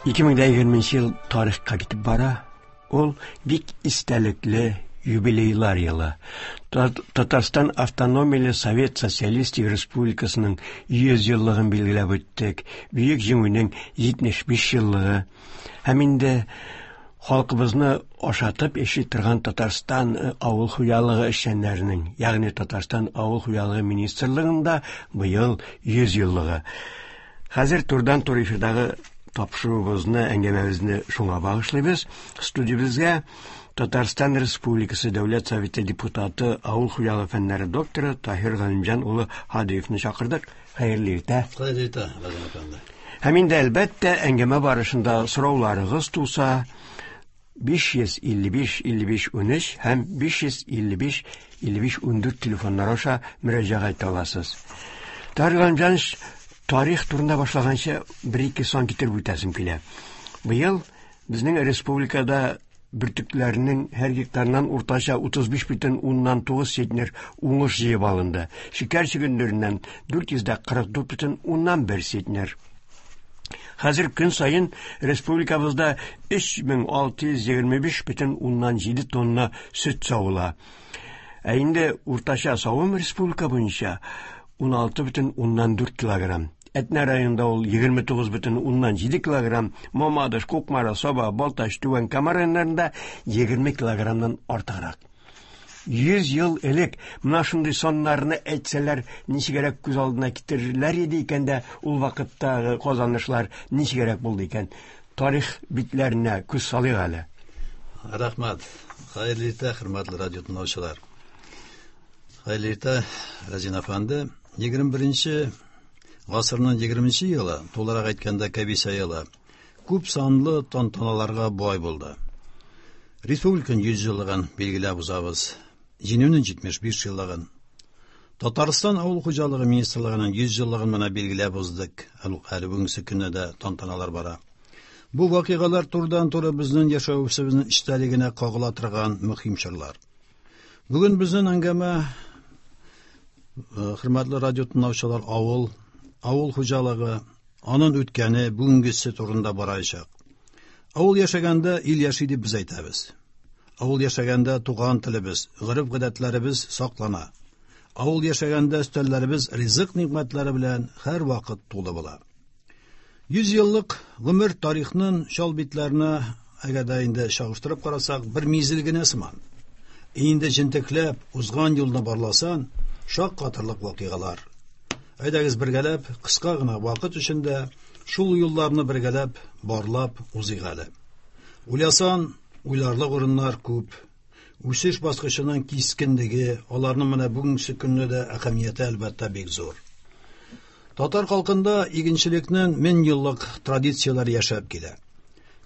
2020 ел тарихка китеп бара. Ул бик истәлекле юбилейлар елы. Татарстан Автономияле Совет Социалистик Республикасының 100 еллыгын билгеләп үттек. Бөек Җиңүнең 75 еллыгы. Һәм инде халкыбызны ашатып яши торган Татарстан авыл хуҗалыгы эшчәннәренең, ягъни Татарстан авыл хуҗалыгы министрлыгының да быел 100 еллыгы. Хәзер турыдан-туры эфирдагы тапшыруыбызны, әңгәмәбезне шуңа багышлыйбыз. Студиябезгә Татарстан Республикасы Дәүләт Советы депутаты, авыл хуҗалыгы фәннәре докторы Таһир Галимҗан улы Һадиевны чакырдык. Хәерле иртә. Хәерле иртә, Газим әфәнде. Һәм инде әлбәттә әңгәмә барышында сорауларыгыз туса, 555 55 13 һәм 555 55 14 телефоннары аша мөрәҗәгать итә аласыз. Таһир Галимҗанович, тарих турында башлаганчы бер-ике сан китереп үтәсем килә. Быел безнең республикада бөртекләрнең һәр гектарыннан уртача 35,9 центнер уңыш җыеп алынды. Шикәр чөгендереннән 444,1 центнер. Хәзер көн саен республикабызда 3625,7 тонна сөт савыла. Ә инде уртача савым республика буенча 16,4 килограмм. Әтнә районында ул 29,7 килограмм, Мамадыш, Кукмара, Саба, Балтач, Түбән Кама районнарында 20 килограммнан артыграк. 100 ел элек менә шундый саннарны әйтсәләр, ничегрәк күз алдына китерерләр иде икән дә, ул вакыттагы казанышлар ничегрәк булды икән? Тарих битләренә күз салыйк әле. Рәхмәт. Хәерле иртә, хөрмәтле радио тыңлаучылар. Хәерле иртә, Разин әфәнде. 21 гасырның 20 елы, тулырак әйткәндә, кәбисә елы, күп санлы тантаналарга бай булды. Республиканың 100 еллыгын билгеләп узабыз. Җиңүнең 75 еллыгын. Татарстан авыл хуҗалыгы министрлыгының 100 еллыгын менә билгеләп уздык. Әле бүгенге көндә дә тантаналар бара. Бу вакыйгалар турыдан-туры безнең яшәвебезнең эчтәлегенә кагыла торган мөһим чорлар. Бүген безнең әңгәмә, хөрмәтле радио тыңлаучылар, авыл, авыл хуҗалыгы, аның үткәне, бүгенгесе турында барачак. Авыл яшәгәндә ил яши дип без әйтәбез. Авыл яшәгәндә туган телебез, гореф-гадәтләребез саклана. Авыл яшәгәндә өстәлләребез ризык нигъмәтләре белән һәрвакыт тулы була. 100 еллык гомер тарихның чал битләренә әгәр дә инде чагыштырып карасак, бер мизгел генә сыман. Инде җентекләп узган юлны барласан, шаккатырлык вакыйгалар. Әйдәгез бергәләп, кыска гына вакыт эчендә шул юлларны бергәләп барлап узыйк әле. Уйласан, уйларлык урыннар күп. Үсеш баскычының кискенлеге, аларның менә бүгенге көндә дә әһәмияте әлбәттә бик зур. Татар халкында игенчелекнең мең еллык традицияләре яшәп килә.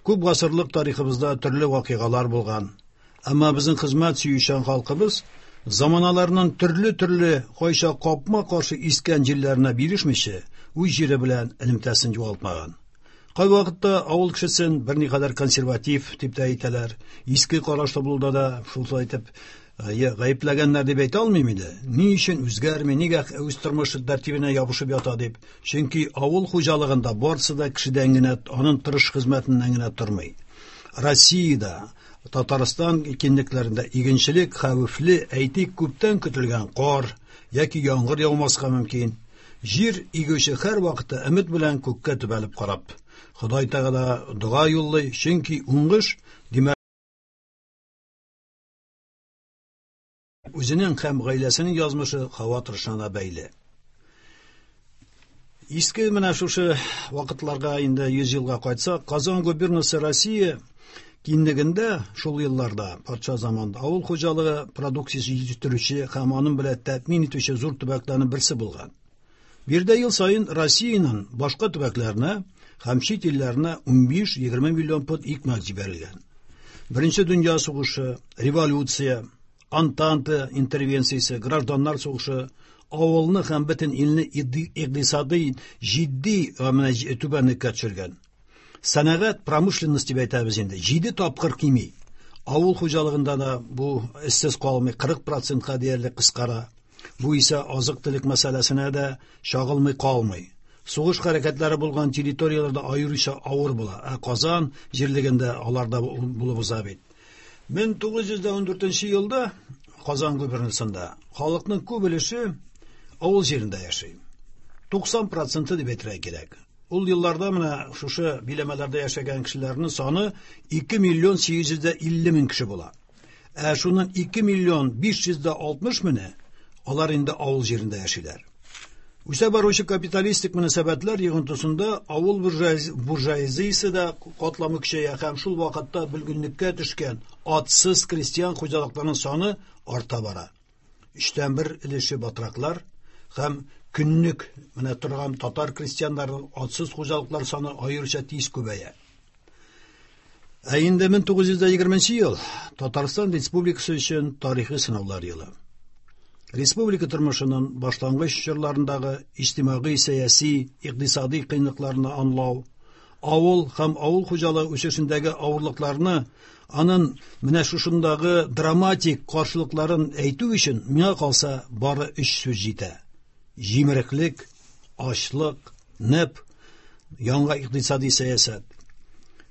Күп гасырлык тарихыбызда төрле вакыйгалар булган. Әмма безнең хезмәт сөючән халкыбыз заманаларның төрле-төрле кайчак капма-каршы искән җилләренә бирешмичә, үз җире белән элемтәсен югалтмаган. Кайвакытта авыл кешесен берникадәр консерватив дип тә әйтәләр, иске карашлы булуда да шулай итеп гаепләгәннәр дип әйтә алмыйм инде. Ни өчен үзгәрми, нигә үз тормыш тәртибенә ябышып ята дип. Чөнки авыл хуҗалыгында барысы да кешедән генә, аның тырыш хезмәтеннән генә тормый. Россиядә, Татарстан киңлекләрендә игенчелек хәвефле, әйтик, күптән көтелгән кар яки яңгыр яумаска мөмкин. Җир игүче һәр вакытта өмет белән күккә төбәлеп карап, Ходай Тәгалә дога юллый, чөнки уңыш, димәк, үзенең һәм гаиләсенең язмышы һава торышына бәйле. Иске менә шушы вакытларга инде 100 елга кайтсак, Казан губернасы Россия киңлегендә шул елларда, патша заманында авыл хуҗалыгы продукциясе җитештерүче һәм аның белән тәэмин итүче зур төбәкләрнең берсе булган. Биредә ел саен Россиянең башка төбәкләренә һәм чит илләренә 15-20 миллион пот икмәк җибәрелгән. Беренче дөнья сугышы, революция, Антанта интервенциясе, гражданнар сугышы авылны һәм бөтен илне икътисадый җитди менә түбәнлеккә төшергән. Сәнәгать, промышленность дип әйтәбез инде, 7 тапкыр кими. Авыл хуҗалыгында да бу эшсез калмый, 40 процентка диярлек кыскара. Бу исә азык-төлек мәсьәләсенә дә чагылмый калмый. Сугыш хәрәкәтләре булган территорияләрдә аеруча авыр була, ә Казан җирлегендә алар да булып уза бит. 1914 елда Казан губернасында халыкның күп өлеше авыл җирендә яши. 90% дип әйтергә кирәк. Ул елларда менә шушы биләмәләрдә яшәгән кешеләрнең саны 2 миллион 850 мең кеше була. Ә шуннан 2 миллион 560 меңе алар инде авыл җирендә яшиләр. Үсә баручы капиталистик мөнәсәбәтләр йогынтысында авыл буржуазиясе дә катламы көчәя һәм шул вакытта бөлгенлеккә төшкән атсыз крестьян хуҗалыкларының саны арта бара. Өчтән бер өлеше батраклар һәм көнлек менә торган татар крестьяннарының атсыз хуҗалыклар саны аеруча тиз күбәя. Ә инде 1920 ел Татарстан Республикасы өчен тарихи сынаулар елы. Республика тормышының башлангыч чорларындагы иҗтимагый, сәяси, икътисади кыенлыкларны аңлау, авыл һәм авыл хуҗалыгы үсешендәге авырлыкларны, аның менә шушындагы драматик каршылыкларын әйтү өчен миңа калса бары өч сүз җитә: җимереклек, ачлык, НЭП, яңа икътисади сәясәт.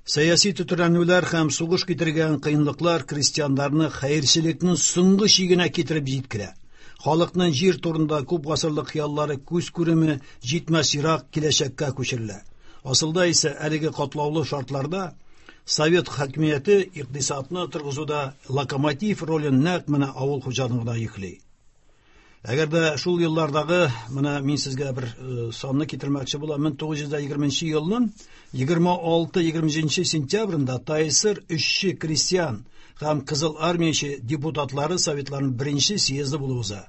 Сәяси төтрәнүләр һәм сугыш китергән кыенлыклар крестьяннарны хәерчелекнең соңгы чигенә китереп җиткерә. Халыкның җир турында күп гасырлык хыяллары күз күреме җитмәс ерак киләчәккә күчерелә. Асылда исә әлеге катлаулы шартларда Совет хакимияте икътисадны торгызуда локомотив ролен нәкъ менә авыл хуҗалыгына йөкли. Әгәр дә шул еллардагы, менә мин сезгә бер санны китермәкче булам, 1920 елның 26-27 сентябрендә ТАССР эшче крестьян һәм Кызыл армияче депутатлары советларының беренче съезды булып уза.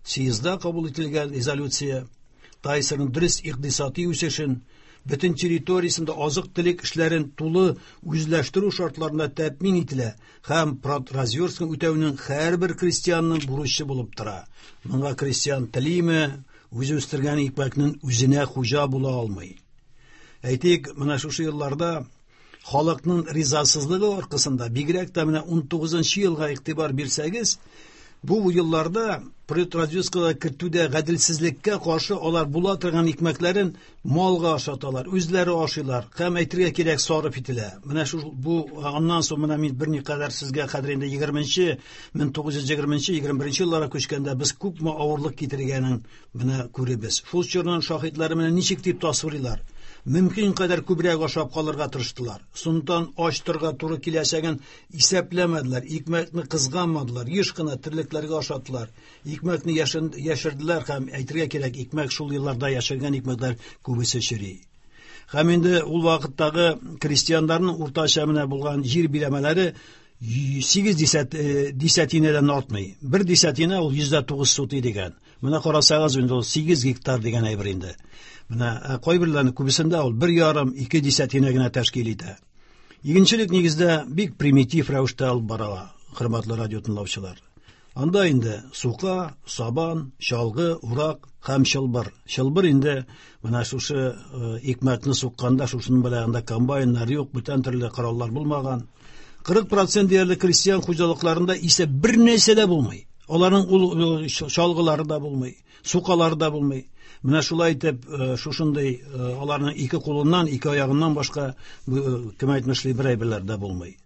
Съездда кабул ителгән резолюция ТАССРның дөрес икътисади үсешен, бөтен территориясендә азык-төлек эшләрен тулы үзләштерү шартларында тәэмин ителә һәм продразверстканы үтәүнең һәрбер крестьянның бурычы булып тора. Моңа крестьян телиме, үзе үстергән икмәкнең үзенә хуҗа була алмый. Әйтик, менә шушы елларда халыкның ризасызлыгы аркасында, бигрәк тә менә 19 елга игътибар бирсәгез, бу елларда продразверсткага кертүдә гаделсезлеккә каршы алар була торган икмәкләрен малга ашаталар, үзләре ашыйлар һәм әйтергә кирәк сарыф ителә. Менә шу бу аннан соң менә мин берникадәр сезгә хәзер инде 20-нче, 1920-нче, 21 елларга күчкәндә без күпме авырлык китергәнен менә күребез. Шул чорның шаһитлары менә ничек дип тасвирлыйлар. Мөмкин кадәр күбрәк ашап калырга тырыштылар. Соңыннан ач торырга туры киләчәген исәпләмәделәр, икмәкне кызганмадылар, еш кына терлекләргә ашаттылар. Икмәкне яшерделәр һәм әйтергә кирәк, икмәк шул елларда яшергән икмәкләр күбесе чери. Һәм инде ул вакыттагы крестьяннарның уртача менә булган җир биләмәләре 8 десятинәдән артмый. Бер десятина ул 109 сотый дигән. Менә карасагыз инде ул 8 гектар дигән әйбер инде. Менә кайберләрнең күбесендә ул 1,5-2 десятина генә тәшкил итә. Игенчелек нигездә бик примитив рәвештә алып барыла, хөрмәтле радио тыңлаучылар. Анда инде сука, сабан, чалгы, урак һәм чылбыр. Чылбыр инде менә шушы икмәкне сукканда шушының белән анда комбайннар юк, бүтән төрле кораллар булмаган. 40% диярлек крестьян хуҗалыкларында исә бер нәрсә дә булмый. Аларның ул чалгылары да булмый, сукалары да булмый. Менә шулай итеп, шушындый аларның ике кулыннан, ике аягыннан башка, кем әйтмешли, бер әйберләр дә булмый.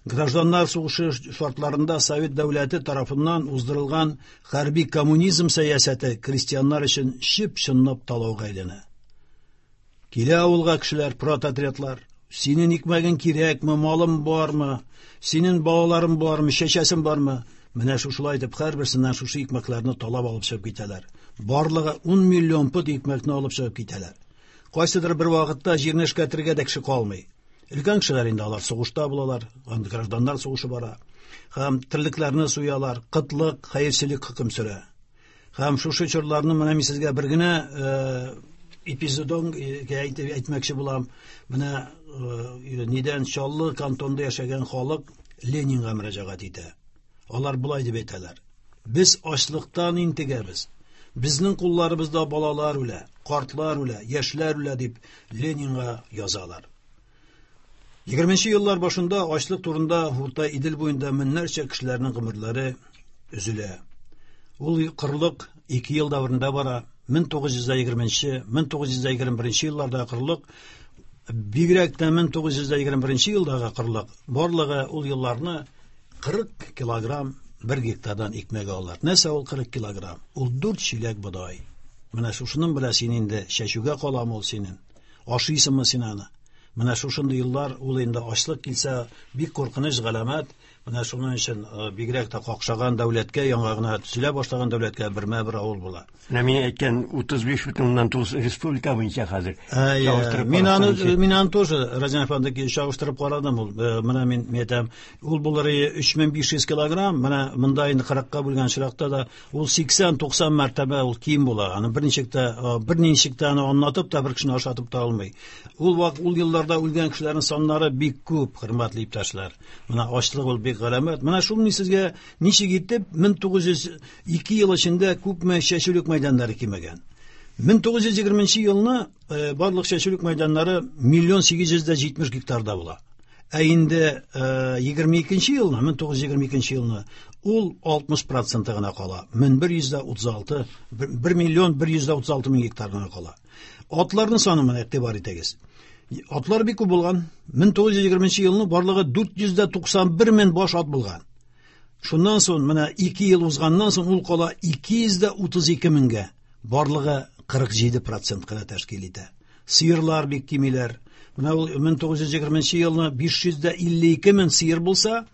Гражданнар сугышы шартларында Совет дәүләте тарафыннан уздырылган хәрби коммунизм сәясәте крестьяннар өчен чып-чынлап талауга әйләнә. Килә авылга кешеләр, прототрядлар. Синең икмәгең кирәкме, малың бармы, синең балаларың бармы, чәчәсең бармы? Менә шушылай итеп һәрберсеннән шушы икмәкләрне талап алып чыгып китәләр. Барлыгы 10 миллион пот икмәкне алып чыгып китәләр. Кайсыдыр бер вакытта җирне эшкәртергә дә кеше калмый. Өлкән кешеләр инде алар сугышта булалар, анда гражданнар сугышы бара. Һәм терлекләрне суялар, кытлык, хәерчелек хөкем сөрә. Һәм шушы чорларны менә мин сезгә бер генә эпизодын әйтмәкче булам. Менә нидән Чаллы кантонында яшәгән халык Ленинга мөрәҗәгать итә. Алар болай дип әйтәләр: Без ачлыктан интегәбез. Безнең кулларыбызда балалар үлә, картлар үлә, яшьләр үлә дип Ленинга язалар. 20 еллар башында ачлык турында Урта Идел буенда меңнәрчә кешеләрнең гомерләре өзелә. Ул кырлык 2 ел дәверендә бара. 1920, 1921 елларда кырлык, бигрәк тә 1921 елдагы кырлык, барлыгы ул елларны 40 килограмм бер гектардан икмәк алалар. Нәрсә ул 40 килограмм? Ул 4 чиләк бодай. Менә шушының белән син инде чәчүгә каламы ул синең? Ашыйсыңмы син аны? Менә шушындый еллар ул инде ачлык килсә, бик куркыныч галәмәт. Менә шуның өчен бигрәк тә какшаган дәүләткә, яңа гына төзелә башлаган дәүләткә бермә-бер авыл була. Менә мин әйткән 35,9 республика буенча хәзер. Мин аны мин аны тоже Разин әфәнде чагыштырып карадым ул. Менә мин әйтәм, ул булыр 3500 килограмм, менә монда инде 40-ка бүлгән очракта да ул 80-90 мәртәбә ул ким була. Аны берничек тә берничек тә аны аңлатып та бер кешене ашатып та алмый. Ул вак ул елларда үлгән кешеләрнең саннары бик күп, хөрмәтле иптәшләр. Менә ачлык ул бик галәмәт. Менә шул мин сезгә ничек итеп 1902 ел эчендә күпме чәчүлек мәйданнары кимегән. 1920 елны барлык чәчүлек мәйданнары 1 870 гектарда була. Ә инде 22 елны, 1922 елны ул 60% гына кала. 1136, 1 миллион 136 мең гектар гына кала. Атларның саны менә игътибар итегез. Атлар бик күп булган. 1920 елны барлыгы 491 мең баш ат булган. Шуннан соң менә 2 ел узганнан соң ул кала 232 меңгә. Барлыгы 47% кына тәшкил итә. Сыерлар бик кимиләр. Менә ул 1920 елны 552 мең сыер булса,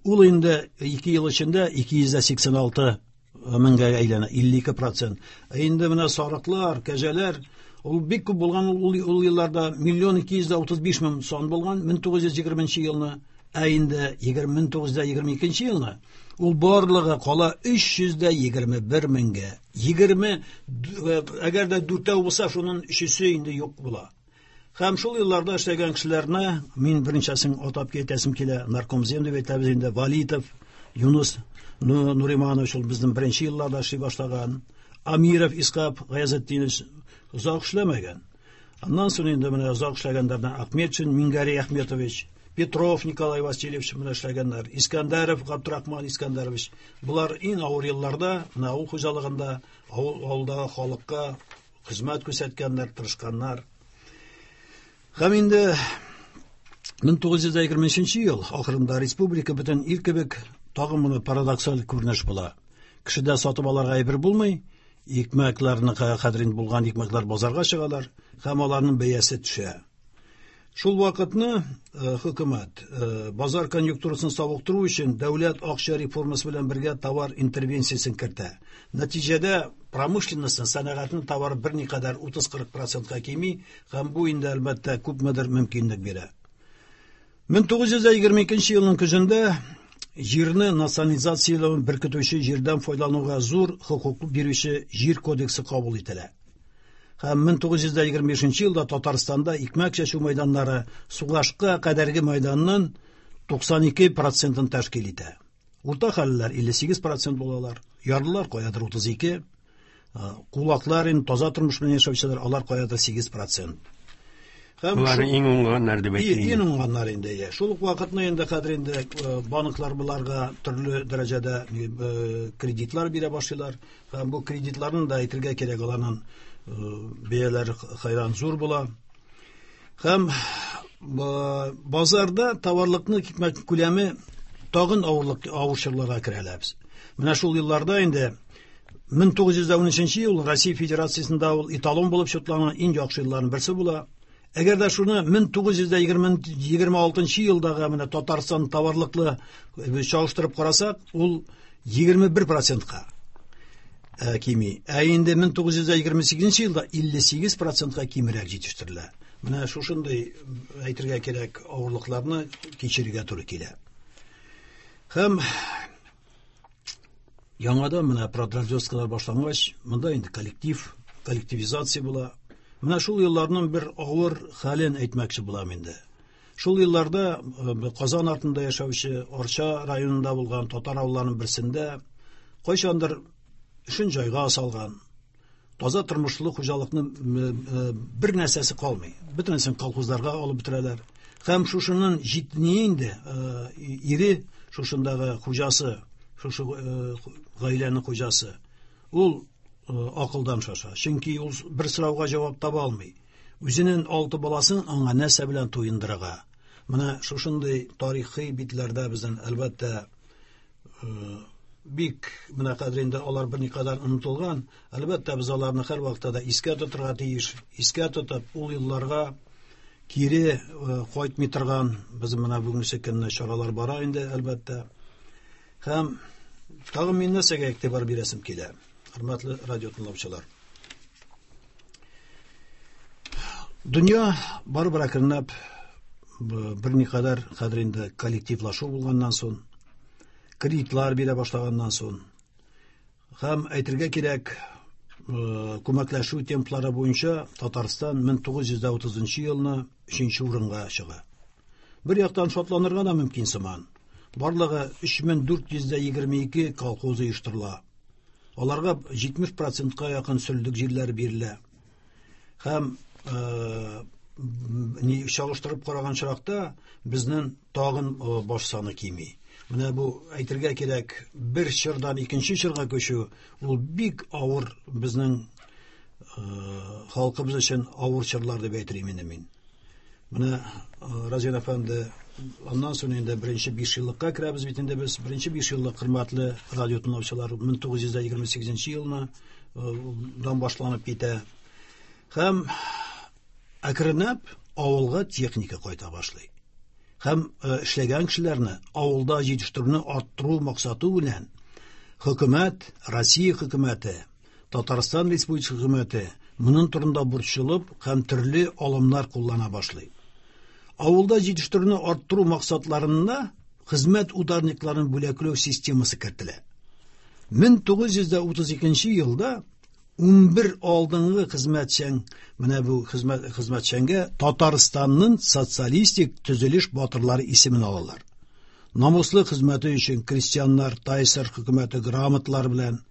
ул инде 2 ел эчендә 286 меңгә әйләнә, 52%. Ә инде менә сарыклар, кәҗәләр, ул бик күп булган ул, ул елларда 1 235 мең сан булган 1920 елны. Ә инде 1922 елны ул барлыгы кала 321 меңгә. 20, әгәр дә дүртәү булса, шуның өчесе инде юк була. Һәм шул елларда эшләгән кешеләрне мин берничәсен атап китәсем килә. Наркомзем дип әйтәбез инде, Валитов, Юнус Нуриманович, ул безнең беренче елларда эшли башлаган. Амиров Исхак Гаязетдинович озак эшләмәгән. Аннан соң инде менә озак эшләгәннәрдән Ахметшин Мингари Ахметович, Петров Николай Васильевич менә эшләгәннәр, Искәндәров Габдрахман Искәндәрович. Болар иң авыр елларда менә авыл хуҗалыгында, авыл авылдагы халыкка хезмәт күрсәткәннәр, тырышканнар. Һәм инде 1923 ел ахырында республика бөтен ил кебек тагын моны парадоксаль күренеш була. Кешедә сатып алырга әйбер булмый, икмәкләрне хәзер булган икмәкләр базарга чыгалар һәм аларның бәясе төшә. Шул вакытны хөкүмәт базар конъюнктурасын савыктыру өчен дәүләт акча реформасы белән бергә товар интервенциясен кертә. Нәтиҗәдә промышленностьның, сәнәгатьнең товары берникадәр 30-40%ка кими һәм бу инде әлбәттә күпмедер мөмкинлек бирә. 1922 елның көзендә җирне национализацияләүен беркетүче җирдән файдалануга зур хокук бирүче җир кодексы кабул ителә. Һәм 1925 елда Татарстанда икмәк чәчү мәйданнары сугышка кадәрге мәйданның 92%-ын тәшкил итә. Урта хәллеләр 58% булалар, ярлылар каядыр 32, кулаклар инде таза тормыш белән яшәүчеләр алар каядыр 8%. Һәм Булар иң уңганнар дип әйтик. Иң уңганнар инде. Иә. Шул ук вакытны инде хәзер инде банклар буларга төрле дәрәҗәдә кредитлар бирә башлыйлар. Һәм бу кредитларны да әйтергә кирәк, аларның бәяләре хәйран зур була. Һәм базарда товарлыкны икмәк күләме тагын авырлык авыр чорларга керәләбез. Менә шул елларда инде 1913 ел Россия Федерациясендә ул эталон булып чутланган иң яхшы елларның берсе була. Әгәр дә шуны 1926 елдагы менә Татарстан товарлыклы чагыштырып карасак, ул 21%-ка кими. Ә инде 1928 елда 58%-ка кимрәк җитештерелә. Менә шушындый әйтергә кирәк авырлыкларны кичерергә туры килә. Һәм яңадан менә продразверсткалар башлангач, монда инде коллектив, коллективизация була. Менә шул елларның бер авыр хәлен әйтмәкче булам инде. Шул елларда Казан артында яшәүче Арча районында булган татар авылларының берсендә кайчандыр эшен җайга салган, таза тормышлы хуҗалыкның бер нәрсәсе калмый. Бөтенесен колхозларга алып бетерәләр. Һәм шушының җитни инде ире, шушындагы хуҗасы, шушы гаиләнең хуҗасы. Ул акылдан шаша. Чөнки ул бер сорауга җавап таба алмый. Үзенең алты баласын аңа нәрсә белән туендырырга? Менә шушындый тарихи битләрдә безнең, әлбәттә, бик менә хәзер инде алар берникадәр онытылган. Әлбәттә, без аларны һәрвакытта да искә тотырга тиеш. Искә тотып, ул елларга кире кайтмый торган без менә бүгенге көнне чаралар бара инде, әлбәттә. Һәм тагын мин нәрсәгә игътибар бирәсем килә, хөрмәтле радио тыңлаучылар. Дөнья барыбер әкренләп берникадәр хәзер инде коллективлашу булганнан соң, кредитлар бирә башлаганнан соң, һәм әйтергә кирәк, күмәкләшү темплары буенча Татарстан 1930 елны 3 урынга чыга. Бер яктан шатланырга да мөмкин сыман. Барлыгы 3422 колхоз оештырыла. Аларга 70%-ка якын сөлдек җирләре бирелә. Һәм чагыштырып караган чакта безнең тагын баш саны кими. Менә бу әйтергә кирәк, бер чордан икенче чорга күчү ул бик авыр безнең халкыбыз өчен авыр чорлар дип әйтер инде мин. Менә Разин әфәнде, аннан соң инде беренче 5 еллыкка керәбез бит инде без. Беренче 5 еллык, хөрмәтле радио тыңлаучылар, 1928 елны дан башланып китә. Һәм әкренләп авылга техника кайта башлый. Һәм эшләгән кешеләрне авылда җитештерүне арттыру максаты белән хөкүмәт, Россия хөкүмәте, Татарстан Республикасы хөкүмәте моның турында борчылып һәм төрле алымнар куллана башлый. Авылда җитештерүне арттыру максатларында хезмәт ударникларын бүләкләү системасы кертелә. 1932 елда 11 алдынгы хезмәтчән, менә бу хезмәт хезмәтчәнгә Татарстанның социалистик төзелеш батырлары исемен алалар. Намуслы хезмәте өчен крестьяннар ТАССР хөкүмәте грамоталары белән,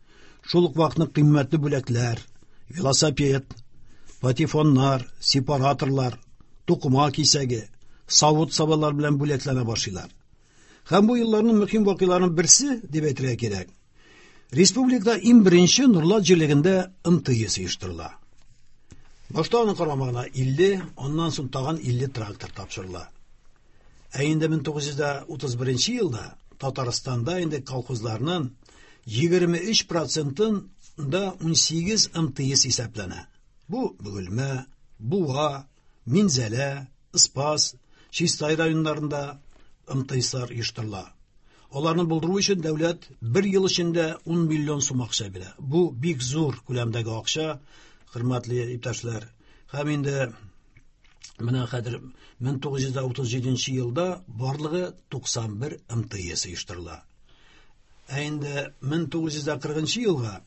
шул ук вакытта кыйммәтле бүләкләр, велосипед, патефоннар, сепараторлар, тукыма кисәге, савыт-сабалар белән бүләкләнә башлыйлар. Һәм бу елларның мөһим вакыйгаларының берсе дип әйтергә кирәк. Республикада иң беренче Нурлат җирлегендә МТС оештырыла. Башта аның карамагына 50, аннан соң тагын 50 трактор тапшырыла. Ә инде 1931 елда Татарстанда инде колхозларның 23 процентын да 18 МТС исәпләнә. Бу Бөгелмә, Буа, Минзәлә, Спас, Чистай районнарында МТСлар оештырыла. Аларны булдыру өчен дәүләт бер ел эчендә 10 миллион сум акча бирә. Бу бик зур күләмдәге акча, хөрмәтле иптәшләр. Һәм инде менә хәзер 1937 елда барлыгы 91 МТС оештырыла. Ә инде 1940 елга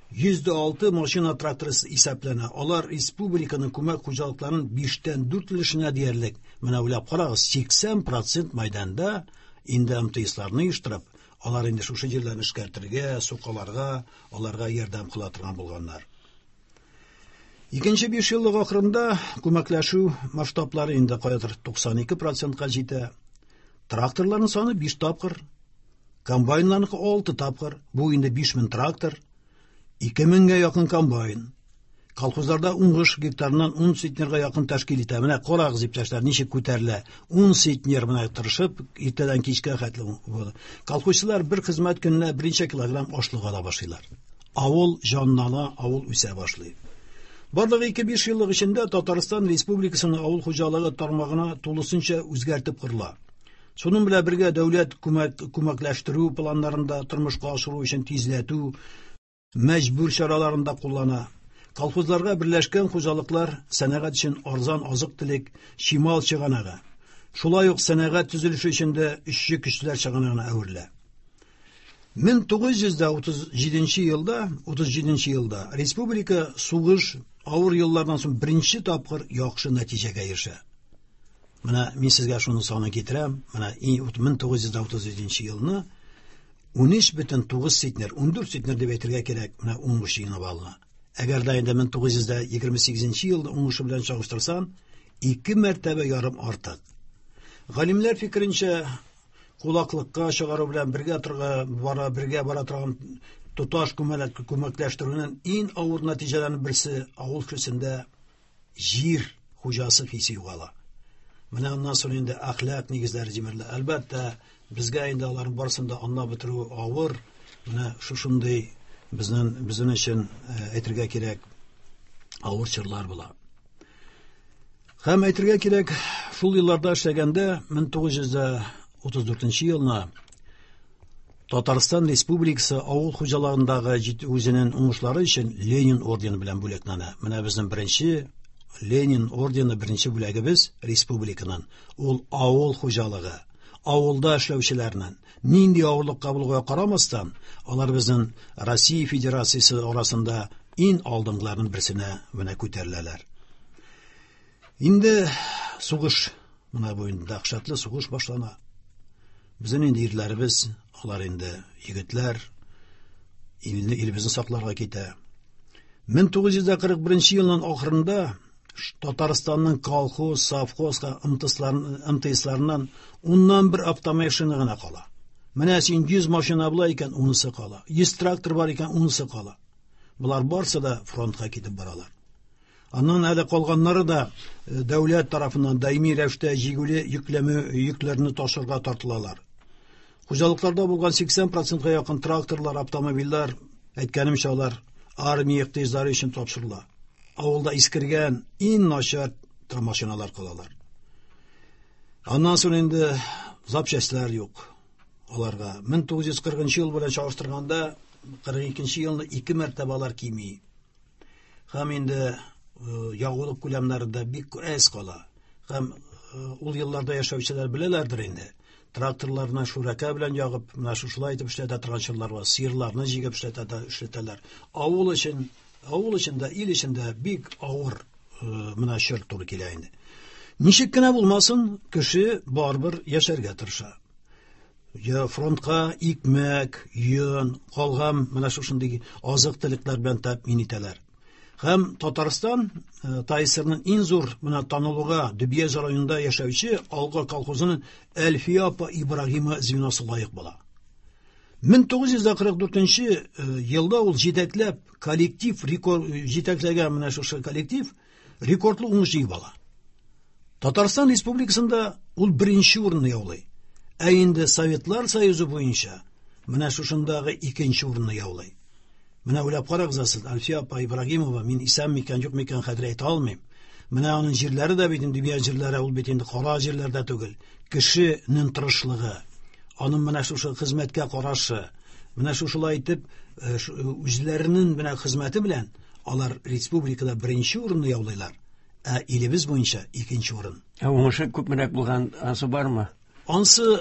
106 машина тракторы исәпләнә. Алар республиканың күмәк хуҗалыкларының 5-тән 4 өлешенә диярлек. Менә уйлап карагыз, 80% мәйданда инде МТСларны оештырып, алар инде шушы җирләрне эшкәртергә, сукаларга, аларга ярдәм кыла торган булганнар. Икенче 5 еллык ахырында күмәкләшү масштаблары инде каядыр 92%-ка җитә. Тракторларның саны 5 тапкыр, комбайннарныкы 6 тапкыр. Бу инде 5000 трактор, 2000-гә якын комбайн. Колхозларда уңыш гектарыннан 10 центнерга якын тәшкил итә. Менә карагыз, иптәшләр, ничек күтәрелә. 10 центнер менә тырышып, иртәдән кичкә хәтле. Колхозчылар бер хезмәт көненә берничә килограмм ашлык ала башлыйлар. Авыл җанлана, авыл үсә башлый. Барлыгы 2-5 еллык эчендә Татарстан Республикасының авыл хуҗалыгы тармагына тулысынча үзгәртеп корыла. Шуның белән бергә дәүләт күмәкләштерү планнарында тормышка ашыру өчен тизләтү мәҗбүр чараларын да куллана. Колхозларга берләшкән хуҗалыклар сәнәгать өчен арзан азык-төлек, чимал чыганагы. Шулай ук сәнәгать төзелеше өчен дә эшче көчләр чыганагына әверелә. 1937 елда, 37 елда республика сугыш авыр еллардан соң беренче тапкыр яхшы нәтиҗәгә ирешә. Менә мин сезгә шуны санын китерәм. Менә 1937 елны 13,9 центнер, 14 центнер дип әйтергә кирәк, менә уңыш җыйнап алына. Әгәр дә инде 1928 елда уңышы белән чагыштырсаң, 2 мәртәбә ярым артык. Галимнәр фикеренчә, кулаклыкка чыгару белән бергә торга бара, бергә бара торган Тоташ күмәкләштерүнең иң авыр нәтиҗәләренең берсе авыл кешесендә җир хуҗасы хисе югала. Менә аннан соң инде әхлак нигезләре җимерелә. Әлбәттә, безгә инде аларның барысын да аңлап бетерү авыр. Менә шушындый безнең өчен әйтергә кирәк авыр чорлар була. Һәм әйтергә кирәк, шул елларда эшләгәндә 1934 елны Татарстан Республикасы авыл хуҗалыгындагы үзенең уңышлары өчен Ленин ордены белән бүләкләнә. Менә безнең беренче Ленин ордены, беренче бүләгебез республиканың. Ул авыл хуҗалыгы, авылда эшләүчеләрнең нинди авырлыкка булуга карамастан, алар безнең Россия Федерациясе арасында иң алдынгыларның берсенә менә күтәреләләр. Инде сугыш, менә бу инде дәһшәтле сугыш башлана. Безнең инде ирләребез, алар инде егетләр, илебезне сакларга китә. 1941 елның ахырында Татарстанның колхоз, совхоз МТСларыннан уннан бер автомашина гына кала. Менә син 100 машина була икән, унысы кала. 100 трактор бар икән, унысы кала. Болар барсы да фронтка китеп баралар. Аннан әле калганнары да дәүләт тарафыннан даими рәвештә җигүле йөкләмә йөкләрне ташырга тартылалар. Хуҗалыкларда булган 80%га якын тракторлар, автомобильләр, әйткәнемчә, алар армия ихтыяҗлары өчен тапшырыла. Авылда искергән иң начар машиналар калалар. Аннан соң инде запчастьлар юк аларга. 1940 ел белән чагыштырганда 42 елны ике мәртәбә алар кими. Һәм инде ягулык күләмнәре дә бик әз кала. Һәм ул елларда яшәүчеләр беләләрдер инде. Тракторларны шүрәкә белән ягып, менә шушылай итеп эшләтә торган чорлар бар. Сыерларны җигеп эшләтәләр. Авыл өчен, авыл өчен дә, ил өчен дә бик авыр менә чор туры килә инде. Ничек кенә булмасын, кеше барыбер яшәргә тырыша. Я фронтка икмәк, йон, калган менә шушындый азык-төлекләр белән тәэмин итәләр. Һәм Татарстан ТАССРның иң зур менә танылуга Дөбьяз районында яшәүче Алга колхозының Әлфия апа Ибрагимова звеносы лаек була. 1944 елда ул җитәкләп коллектив рекорд җитәкләгән менә шушы коллектив рекордлы уңыш җыеп ала. Татарстан Республикасында ул беренче урынны яулый. Ә инде Советлар Союзы буенча менә шушындагы икенче урынны яулый. Менә уйлап карагыз сез, Әлфия апа Ибрагимова, мин исән микән, юк микән хәзер әйтә алмыйм. Менә аның җирләре дә бит инде Дөбьяз җирләре, ул бит инде кара җирләрдә түгел. Кешенең тырышлыгы, аның менә шушы хезмәткә карашы, менә шушылай итеп үзләренең менә хезмәте белән алар республикада беренче урынны яулыйлар, ә илебез буенча икенче урын. Ә уңышы күпмерәк булган, ансы бармы? Ансы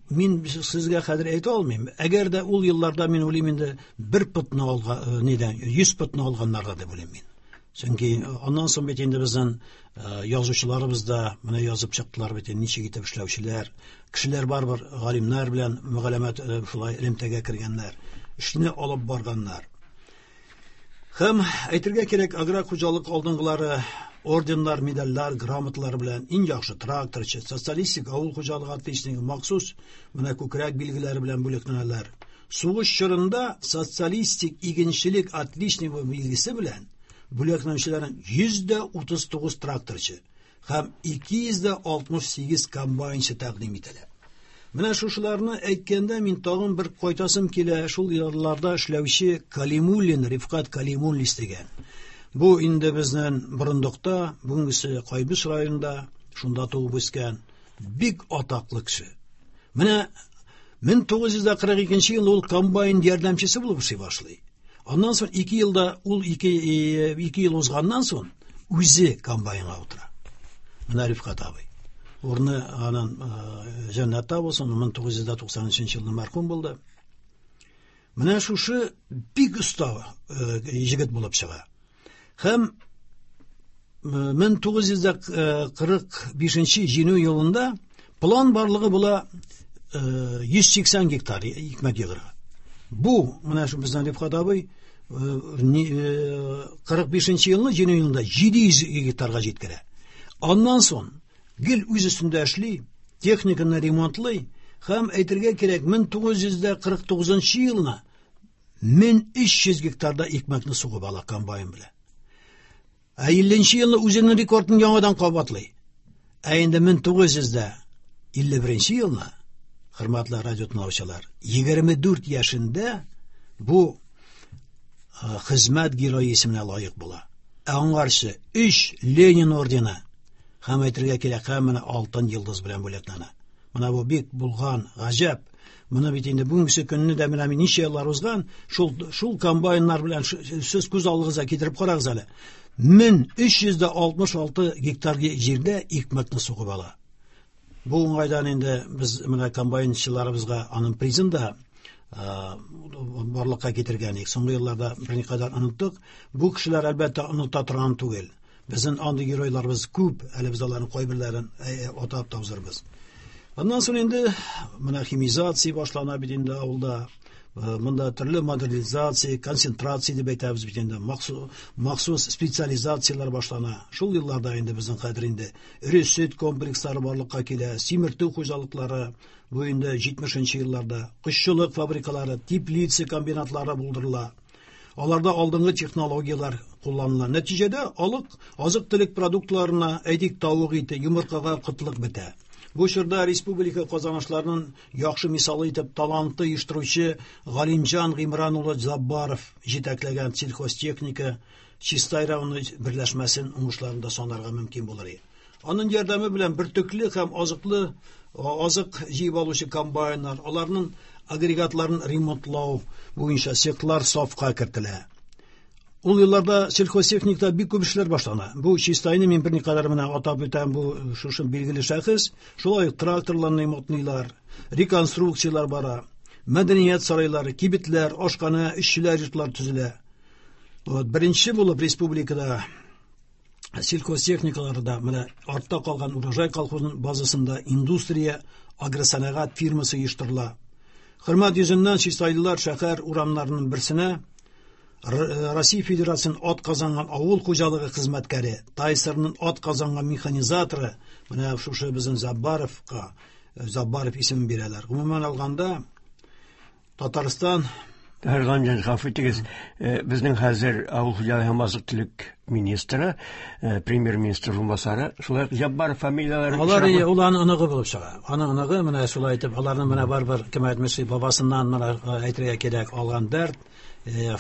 мин сезгә хәзер әйтә алмыйм. Әгәр дә ул елларда мин уйлыйм инде бер потны алган, нидән 100 потны алганнарга дип уйлыйм мин. Чөнки аннан соң бит инде безнең язучыларыбыз да менә язып чыктылар бит инде ничек итеп эшләүчеләр, кешеләр барыбер галимнәр белән мөгаләмәт шулай элемтәгә кергәннәр, эшне алып барганнар. Һәм әйтергә кирәк, аграр хуҗалык алдынгылары орденнар, медальләр, грамоталар белән иң яхшы тракторчы, социалистик авыл хуҗалыгы отличнигы махсус менә күкрәк билгеләре белән бүләкләнәләр. Сугыш чорында социалистик игенчелек отличнигы билгесе белән бүләкләнүчеләрнең 139 тракторчы һәм 268 комбайнчы тәкъдим ителә. Менә шушыларны әйткәндә мин тагын бер кайтасым килә, шул елларда эшләүче Калимуллин, Рифкат Калимуллин дигән. Бу инде безнең Борындыкта, бүгенгесе Кайбыч районында, шунда туып үскән бик атаклы кеше. Менә 1942 елда ул комбайн ярдәмчесе булып эшли башлый. Аннан соң 2 елда ул 2 ел узганнан соң үзе комбайнга утыра. Менә Рифкат абый. Урыны аның җәннәттә булсын, 1993 елда мәрхүм булды. Менә шушы бик оста егет булып чыга. Һәм 1945 җиңү елында план барлыгы була 180 гектар икмәк егырга. Бу менә шу безнең Рифкат абый 45 елны җиңү елында 700 гектарга җиткерә. Аннан соң гел үз өстендә эшли, техниканы ремонтлый һәм әйтергә кирәк 1949 елны 1300 гектарда икмәкне сугып ала комбайн белән. Ә 50 елны үзенең рекордын яңадан кабатлый. Ә инде 1951 елны, хөрмәтле радио тыңлаучылар, 24 яшендә бу хезмәт герое исеменә лаек була. Ә аңарчы 3 Ленин ордены һәм әйтергә кирәк, һәм менә Алтын йолдыз белән бүләкләнә. Менә бу бик булган гаҗәп. Моны бит инде бүгенге көнне дә менә ничә еллар узган, шул комбайннар белән сез күз алдыгызга китереп карагыз әле. 1366 гектар җирдә икмәкне сугып ала. Бу уңайдан инде без менә комбайнчыларыбызга аның призын да барлыкка китергән идек. Соңгы елларда берникадәр оныттык. Бу кешеләр әлбәттә оныта торган түгел. Безнең андый геройларыбыз күп, әле без аларның кайберләрен атап та узырбыз. Аннан соң инде менә химизация башлана бит инде авылда. Монда төрле модернизация, концентрация дип әйтәбез бит инде, махсус специализацияләр башлана. Шул елларда инде безнең хәзер инде эре сөт комплекслары барлыкка килә, симертү хуҗалыклары, бу инде 70 елларда, кошчылык фабрикалары, теплица комбинатлары булдырыла. Аларда алдынгы технологияләр кулланыла. Нәтиҗәдә азык-төлек продуктларына, әйтик, тавык ите, йомыркага кытлык бетә. Бу чорда республика казанышларының яхшы мисалы итеп талантлы оештыручы Галимҗан Гыймран улы Заббаров җитәкләгән сельхозтехника Чистай районы берләшмәсен уңышларында санарга мөмкин булыр иде. Аның ярдәме белән бөртекле һәм азык җыеп алучы комбайннар, аларның агрегатларын ремонтлау буенча цехлар сафка кертелә. Ул елларда сельхозтехникада бик күп эшләр башлана. Бу Чистайны мин берникадәр менә атап үтәм, бу шушы билгеле шәхес. Шулай ук тракторларны ремонтлыйлар, реконструкцияләр бара, мәдәният сарайлары, кибетләр, ашхана, эшчеләр йортлары төзелә. Вот, беренче булып республикада сельхозтехникаларда менә артта калган Урожай колхозының базасында индустрия агросәнәгать фирмасы оештырыла. Хөрмәт йөзеннән чистайлылар шәһәр урамнарының берсенә Россия Федерациясының ат казанган авыл хуҗалыгы хезмәткәре, ТАССРның ат казанган механизаторы, менә шушы безнең Заббаровка, Заббаров исемен бирәләр. Гомумән алганда, Татарстан Галимҗан, гафу итегез, безнең хәзер авыл хуҗалыгы һәм азык-төлек министры, премьер-министр урынбасары, шулай ук Җаббаров фамилияләре Алар ул аның оныгы булып чыга. Аның оныгы менә шулай итеп, аларның менә барыбер кем әйтмешли, бабасыннан менә әйтергә кирәк алган дәрт,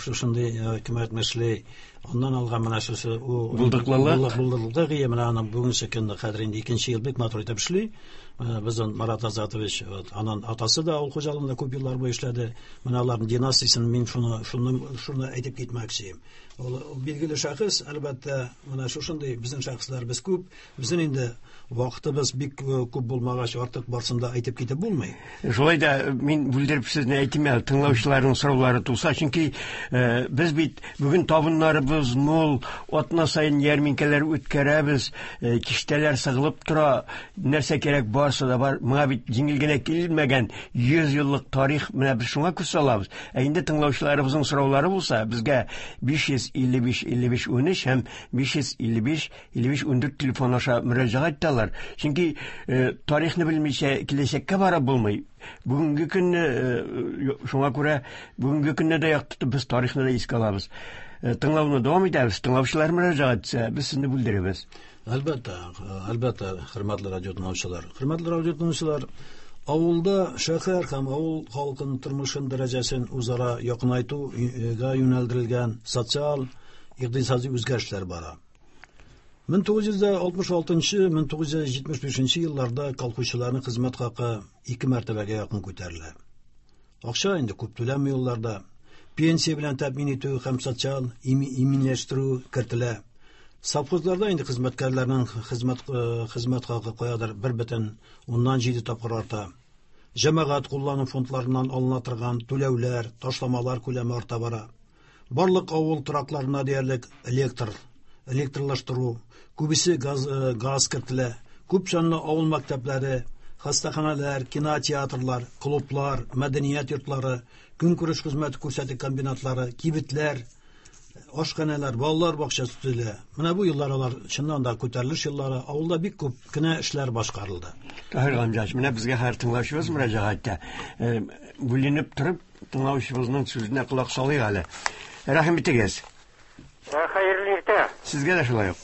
шушындый кем әйтмешли, аннан алган менә шушы булдыклылык, булдыклылык, менә аның бүгенге көндә хәзер инде икенче ел бик матур итеп эшли. Безнең Марат Азатович, аның атасы да авыл хуҗалыгында күп еллар буе эшләде. Менә аларның династиясен мин шуны әйтеп китмәкче. Ул билгеле шәхес, әлбәттә, менә шушындый безнең шәхесләребез күп. Безнең инде вакытыбыз бик күп булмагач, артык барсын да әйтеп китеп булмый. Шулай да мин бүлдереп сезне әйтим әле, тыңлаучыларның сораулары туса, чөнки без бит бүген табыннарыбыз мул, атна саен ярминкәләр үткәрәбез, киштәләр сыгылып тора, нәрсә кирәк барсы да бар. Моңа бит җиңел генә килмәгән 100 еллык тарих, менә без шуңа күз салабыз. Ә инде тыңлаучыларыбызның сораулары булса, безгә 555 55 13 һәм 555 55 14 телефон аша мөрәҗәгать итәләр. Чөнки тарихны белмичә киләчәккә барып булмый. Бүгенге көнне, шуңа күрә бүгенге көнне дә яктыртып без тарихны да искә алабыз. Тыңлауны дәвам итәбез. Тыңлаучылар мөрәҗәгать итсә, без сезне бүлдерәбез. Әлбәттә, әлбәттә, хөрмәтле радио тыңлаучылар. Хөрмәтле радио тыңлаучылар, авылда шәһәр һәм авыл халкының тормышын дәрәҗәсен үзара якынайтуга юнәлдерелгән социаль, икътисади үзгәрешләр бара. 1966, 1975 елларда колхозчыларның хезмәт хакы 2 мәртәбәгә якын күтәрелә. Акча инде күп түләнми елларда. Пенсия белән тәэмин итү һәм социаль иминләштерү кертелә. Совхозларда инде хезмәткәрләрнең хезмәт хакы каядыр бер бөтен уннан җиде тапкыр арта. Җәмәгать куллану фондларыннан алына торган түләүләр, ташламалар күләме арта бара. Барлык авыл торакларына диярлек электрлаштыру, күбесе газ кертелә. Күп санлы авыл мәктәпләре, хастаханалар, кинотеатрлар, клублар, мәдәният йортлары, көнкүреш хезмәте күрсәтү комбинатлары, кибетләр, ашханалар, балалар бакчасы төзелә. Менә бу еллар алар чыннан да күтәрелеш еллары, авылда бик күп кенә эшләр башкарылды. Таһир Гамҗач, менә безгә һәр тыңлаучыбыз мөрәҗәгать итә. Бүленеп торып, тыңлаучыбызның сүзенә колак салыйк әле. Рәхим итегез. Хәерле иртә. Сезгә дә шулай ук.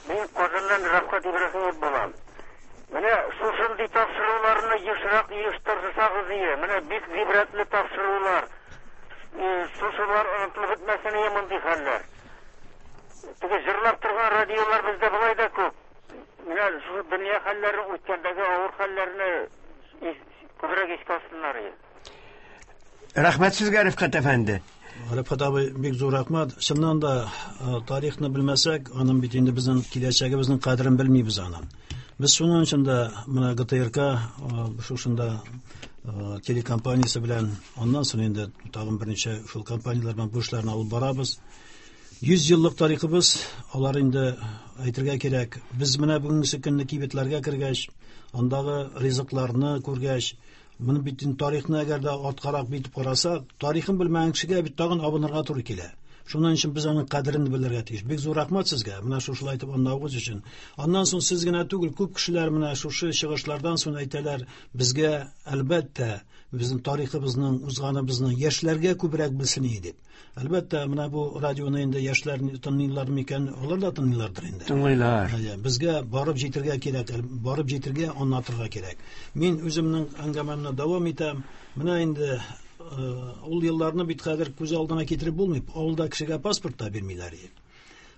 Мин Казаннан Рафкат Ибраһимов булам. Менә шушындый тапшыруларны ешрак оештырсагыз ие. Менә бик гыйбрәтле тапшырулар. Шушылар онытылып бетмәсен ие мондый хәлләр. Теге җырлап торган радиолар бездә болай да күп. Менә шушы дөнья хәлләрен, үткәндәге авыр хәлләрне күбрәк искә алсыннар ие. Рәхмәт сезгә, Рифкать әфәнде. Рифкать абый, бик зур рәхмәт. Чыннан да тарихны белмәсәк, аның бит инде безнең киләчәгебезнең кадерен белмибез аның. Без шуның өчен дә менә ГТРК шушында телекомпаниясе белән, аннан соң инде тагын берничә шул компанияләр белән бу эшләрне алып барабыз. 100 еллык тарихыбыз, алар инде әйтергә кирәк, без менә бүгенге көнне кибетләргә кергәч, андагы ризыкларны күргәч, моны бит инде тарихны әгәр дә арткарак битеп карасак, тарихын белмәгән кешегә бит тагын абынырга туры килә. Шуның өчен без аның кадерен белергә тиеш. Бик зур рәхмәт сезгә, менә шушылай итеп аңлавыгыз өчен. Аннан соң сез генә түгел, күп кешеләр менә шушы чыгышлардан соң әйтәләр, безгә әлбәттә, безнең тарихыбызның, узганыбызның яшьләргә күбрәк белсен иде дип. Әлбәттә, менә бу радионы инде яшьләр тыңлыйлар микән? Алар да тыңлыйлардыр инде. Тыңлыйлар. Әйе, безгә барып җитергә кирәк, барып җитергә, аңлатырга кирәк. Мин үземнең әңгәмәмне дәвам итәм. Менә инде ул елларны бит хәзер күз алдына китереп булмый. Авылда кешегә паспорт та бирмиләр иде.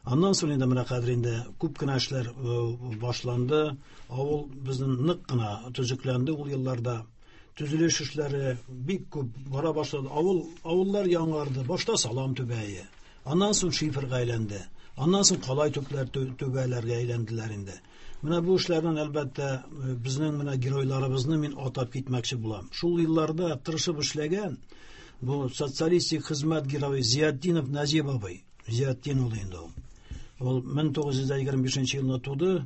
Аннан соң инде менә хәзер инде күп кенә эшләр башланды. Авыл безнең нык кына төзекләнде ул елларда. Төзелеш эшләре бик күп бара башлады. Авыллар яңарды. Башта салам түбәе, аннан соң шиферга әйләнде. Аннан соң калай түпләр түбәләргә әйләнделәр инде. Менә бу эшләрнең әлбәттә безнең менә геройларыбызны мин атап китмәкче булам. Шул елларда тырышып эшләгән бу социалистик хезмәт герое Зиятдинов Назиб абый. Зиятдин ул инде ул. Ул 1925 елны туды,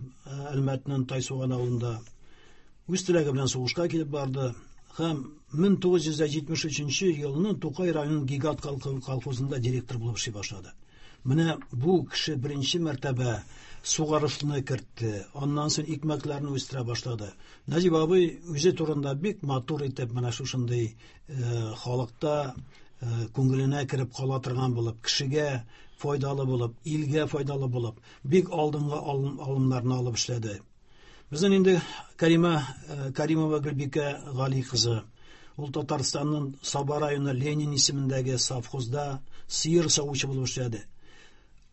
Әлмәтнең Тайсуган авылында. Үз теләге белән сугышка килеп барды һәм 1973 елны Тукай районының Гигант колхозында директор булып эшли башлады. Менә бу кеше беренче мәртәбә сугарышны кертте, аннан соң икмәкләрне үстерә башлады. Назиб абый үзе турында бик матур итеп менә шушындый халыкта күңеленә кереп кала торган булып, кешегә файдалы булып, илгә файдалы булып, бик алдынгы алымнарны алып эшләде. Безнең инде Каримова Гөлбикә Гали кызы. Ул Татарстанның Саба районы Ленин исемендәге совхозда сыер савучы булып эшләде.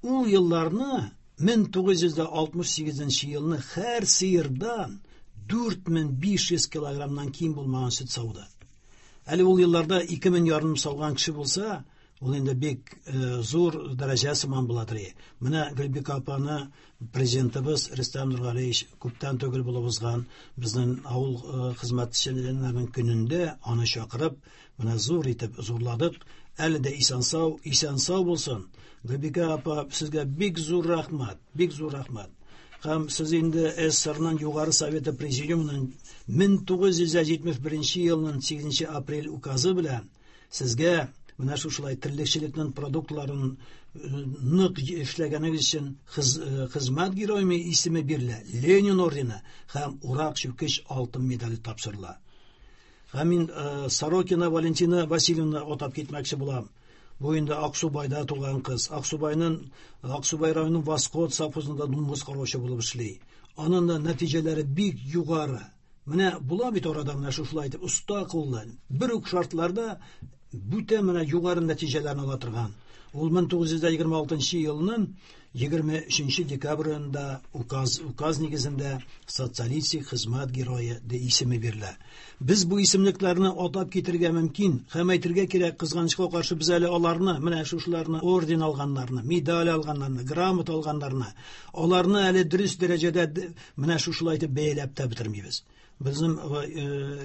Ул елларны 1968 елны һәр сыердан 4500 килограммнан ким булмаган сөт сауды. Әле ул елларда 2500 сауган кеше булса, ул инде бик зур дәрәҗә сыман буладыр. Менә Гөлбикә апаны президентыбыз Рөстәм Нургалиевич күптән түгел булып узган безнең авыл хезмәтчеләренең көнендә аны чакырып, менә зур итеп зурладык. Әле дә исән-сау, исән-сау булсын. Гөлбикә апа, сезгә бик зур рәхмәт, бик зур рәхмәт. Һәм сез инде СССРның Югары Советы Президиумының 1971 елның 8 апрель указы белән сезгә менә шушылай терлекчелекнең продуктларын нык эшләгәнегез өчен хезмәт герое исеме бирелә, Ленин ордены һәм Урак чүкеч алтын медале тапшырыла. Һәм мин Сорокина Валентина Васильевна атап китмәкче булам. Бу инде Аксубайда туган кыз. Аксубай районының Восход совхозында дуңгыз караучы булып эшли. Аның да нәтиҗәләре бик югары. Менә була бит арада менә шушылай итеп оста куллы. Бер үк шартларда бүтә менә югары нәтиҗәләрне ала торган. Ул 1926 елның 23 декабрендә указ нигезендә социалистик хезмәт герое ди исеме бирелә. Без бу исемлекләрне атап китергә мөмкин һәм әйтергә кирәк, кызганычка каршы без әле аларны, менә шушыларны, орден алганнарны, медаль алганнарны, грамота алганнарны, аларны әле дөрес дәрәҗәдә менә шушылай итеп бәяләп тә бетермибез. Безнең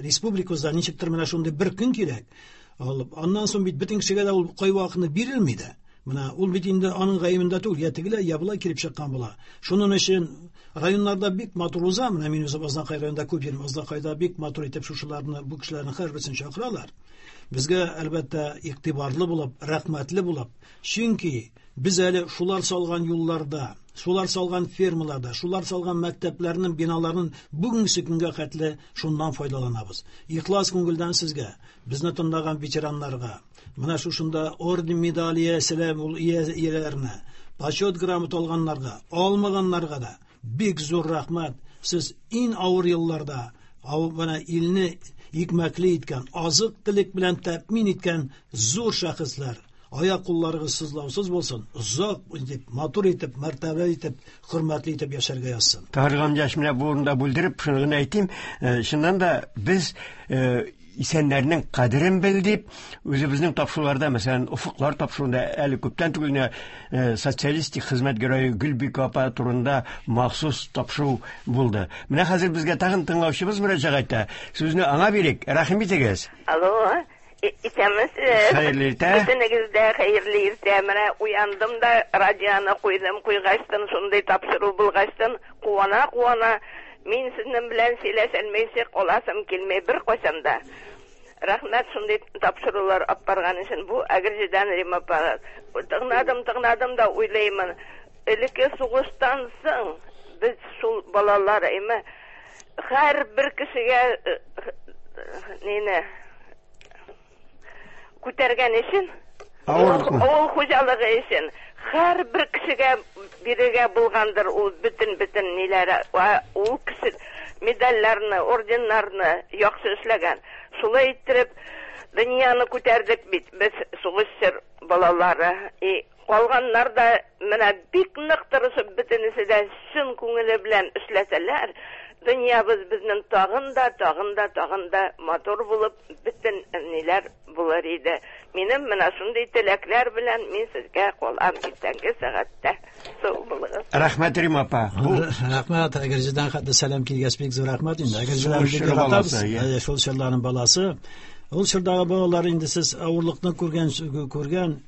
республикабызда ничектер менә шундый бер көн кирәк. Алып, аннан соң бит бөтен кешегә дә ул кайвакытны бирелми дә. Менә ул бит инде аның гаебендә түгел, я тегеләй, я болай килеп чыккан була. Шуның өчен районнарда бик матур уза, менә мин үзем Азнакай районында күп йөрим, Азнакайда бик матур итеп шушыларны, бу кешеләрнең һәрберсен чакыралар. Безгә әлбәттә игътибарлы булып, рәхмәтле булып, чөнки без әле шулар салган юлларда, шулар салган фермаларда, шулар салган мәктәпләрнең биналарын бүгенге көнгә хәтле шуннан файдаланабыз. Ихлас күңелдән сезгә, безне тыңлаган ветераннарга, Менә шушында орден медаль ияселәр ул ияләренә, почет грамота алганнарга, алмаганнарга да бик зур рәхмәт. Сез иң авыр елларда менә илне икмәкле иткән, азык-төлек белән тәэмин иткән зур шәхесләр. Аяк кулларыгыз сызлаусыз булсын, озак итеп, матур итеп, мәртәбәле итеп, хөрмәтле итеп яшәргә язсын. Таһир Гамҗаш, менә бу урында бүлдереп, шуны гына әйтим, чыннан да без исәннәрнең кадерен бел дип, үзебезнең тапшыруларда, мәсәлән, Офыклар тапшыруында әле күптән түгел генә социалистик хезмәт герое Гөлбикә апа турында махсус тапшыру булды. Менә хәзер безгә тагын тыңлаучыбыз мөрәҗәгать итә. Сүзне аңа бирик, рәхим итегез. Алло, исәнмесез. Хәерле иртә. Бөтенегез дә хәерле иртә. Менә уяндым да радионы куйдым, куйгачтын шундый тапшыру булгачтын куана-куана мин сезнең белән сөйләшәлмәйчә каласым килми беркайчан да. Рәхмәт шундый тапшырулар алып барган өчен. Бу Әгерҗедән Рима апа. Тыңладым, тыңладым да уйлыймын. Элекке сугыштан соң без шул балалар, әйме, һәрбер кешегә нине күтәргән өчен, авыл хуҗалыгы өчен һәрбер кешегә бирергә булгандыр ул бөтен-бөтен ниләре, ул кеше медальләрне, орденнарны яхшы эшләгән. Шулай иттереп дөньяны күтәрдек бит без сугышчы балалары. И калганнар да менә бик нык тырышып бөтенесе дә чын күңеле белән эшләсәләр, дөньябыз безнең тагын да, тагын да, тагын да матур булып, бөтен ниләр булыр иде. Минем менә шундый теләкләр белән мин сезгә калам иртәнге сәгатьтә. Сау булыгыз. Рәхмәт, Рима апа. Рәхмәт, Әгерҗедән хәтле сәлам килгәч бик зур рәхмәт инде. Әгерҗедән бик яратабыз. Шул чорларның баласы. Ул чордагы балалар инде сез авырлыкны күргән, күргән,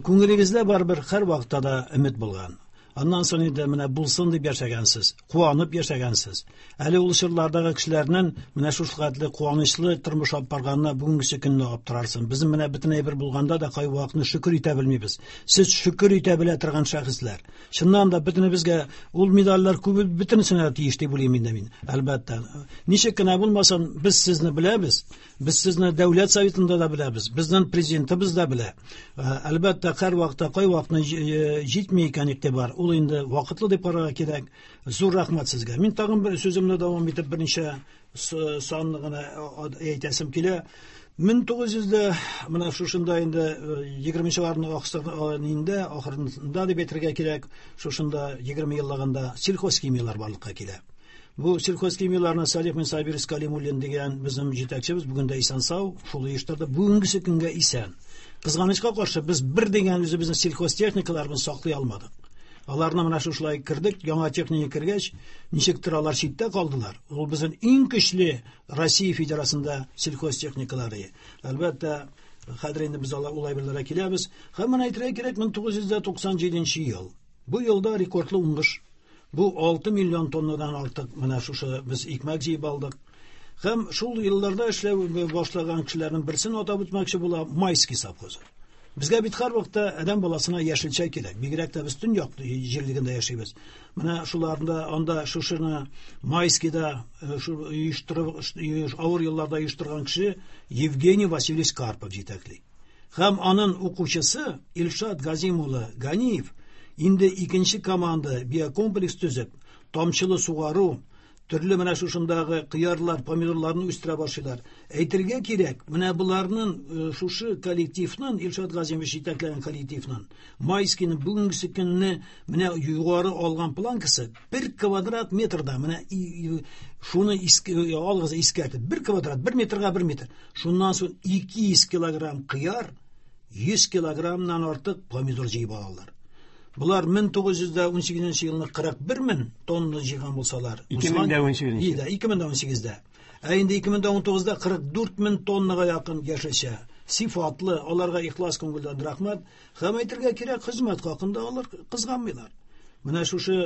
күңелегездә барыбер һәр вакытта да өмет булган. Аннан соң инде менә булсын дип яшәгәнсез, куанып яшәгәнсез. Әле ул чорлардагы кешеләрнең менә шушы хәтле куанычлы тормыш алып барганына бүгенгесе көнне аптырарсың. Безнең менә бөтен әйбер булганда да кайвакытны шөкер итә белмибез. Сез шөкер итә белә торган шәхесләр. Чыннан да бөтенебезгә ул медальләр күбе бөтенесенә тиеш дип уйлыйм инде мин. Әлбәттә. Ничек кенә булмасын, без сезне беләбез. Без сезне Дәүләт Советында да беләбез, безнең президентыбыз да белә. Әлбәттә, һәр вакытта кай вакытны җитми икән игътибар, ул инде вакытлы дип карарга кирәк. Зур рәхмәт сезгә. Мин тагын бер сүземне дәвам итеп берничә санны гына әйтәсем килә. 1900 дә менә шушында инде 20-нчеләрнең инде ахырында дип әйтергә кирәк, шушында 20 еллыгында сельхозхимияләр барлыкка килә. Бу сельхозхимияләрне Салих Минсабирович Калимуллин дигән безнең җитәкчебез бүген дә исән сау, шул оештырды. Бүгенгесе көнгә исән. Кызганычка каршы, без бер дигән үзебезнең сельхозтехникаларыбызны саклый алмадык. Аларны менә шушылай кердек, яңа техника кергәч, ничектер алар читтә калдылар. Ул безнең иң көчле Россия Федерациясендә сельхозтехникалары. Әлбәттә, хәзер инде без алар ул әйберләргә киләбез. Һәм менә әйтергә кирәк, 1997 ел. Бу елда рекордлы уңыш. Бу 6 миллион тоннадан артык менә шушы без икмәк җыеп алдык. Һәм шул елларда эшләү башлаган кешеләрнең берсен атап үтмәкче була Майский совхозы. Безгә бит һәр вакытта адәм баласына яшелчә кирәк. Бигрәк тә без төньяк җирлегендә яшибез. Менә шуларында анда шушыны Майскийда шу оештырып, авыр елларда оештырган кеше Евгений Васильевич Карпов җитәкли. Һәм аның укучысы Илшат Газим улы Ганиев инде икенче команда биокомплекс төзеп, тамчылы сугару, төрле менә шушындагы кыярлар, помидорларны үстерә башлыйлар. Әйтергә кирәк, менә боларның шушы коллективның, Илшат Газимович җитәкләгән коллективның, Майскийның бүгенгесе көнне менә югары алган планкасы 1 квадрат метрда, менә шуны алыгыз искәртеп, 1 квадрат, 1 метрга 1 метр. Шуннан соң 200 килограмм кыяр, 100 килограммнан артык помидор җыеп алалар. Булар 1918 елны 41 мең тонна җыйган булсалар, 2018 елда, 2018-дә. Ә инде 2019-да 44 мең тоннага якын яшелчә. Сифатлы, аларга ихлас күңелдән рәхмәт. Һәм әйтергә кирәк, хезмәт хакында алар кызганмыйлар. Менә шушы